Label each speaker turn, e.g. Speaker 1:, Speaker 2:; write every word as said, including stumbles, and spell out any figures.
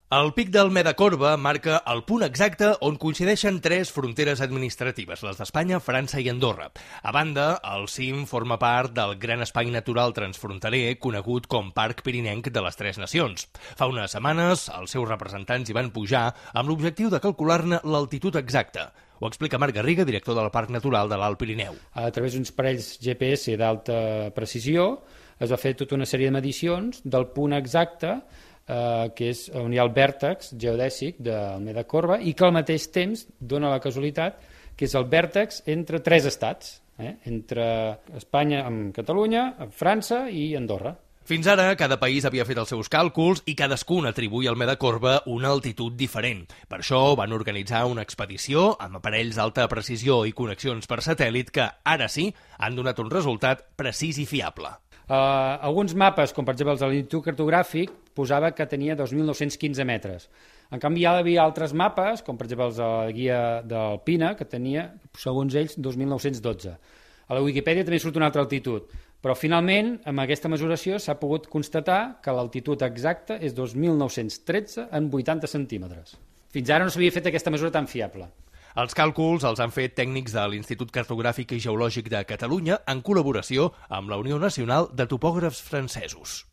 Speaker 1: El pic del Medacorba marca el punt exacte on coincideixen tres fronteres administratives, les d'Espanya, França i Andorra. A banda, el cim forma part del gran espai natural transfronterer conegut com Parc Pirinenc de les Tres Nacions. Fa unes setmanes, els seus representants hi van pujar amb l'objectiu de calcular-ne l'altitud exacta. Ho explica Marc Garriga, director del Parc Natural de l'Alt Pirineu.
Speaker 2: A través d'uns parells G P S d'alta precisió es va fer tota una sèrie de medicions del punt exacte eh, que és on hi ha el vèrtex geodèsic del Medacorba i que al mateix temps dona la casualitat que és el vèrtex entre tres estats, eh? entre Espanya amb Catalunya, França i Andorra.
Speaker 1: Fins ara, cada país havia fet els seus càlculs i cadascun atribuïa al Medacorba una altitud diferent. Per això van organitzar una expedició amb aparells d'alta precisió i connexions per satèl·lit que, ara sí, han donat un resultat precís i fiable.
Speaker 2: Uh, alguns mapes, com per exemple els de l'Institut Cartogràfic, posava que tenia dos mil nou-cents quinze metres. En canvi, hi havia altres mapes, com per exemple els de la guia d'Alpina, que tenia, segons ells, dos mil nou-cents dotze. A la Wikipedia també surt una altra altitud, però finalment, amb aquesta mesuració, s'ha pogut constatar que l'altitud exacta és dos mil nou-cents tretze en vuitanta centímetres. Fins ara no s'havia fet aquesta mesura tan fiable.
Speaker 1: Els càlculs els han fet tècnics de l'Institut Cartogràfic i Geològic de Catalunya en col·laboració amb la Unió Nacional de Topògrafs Francesos.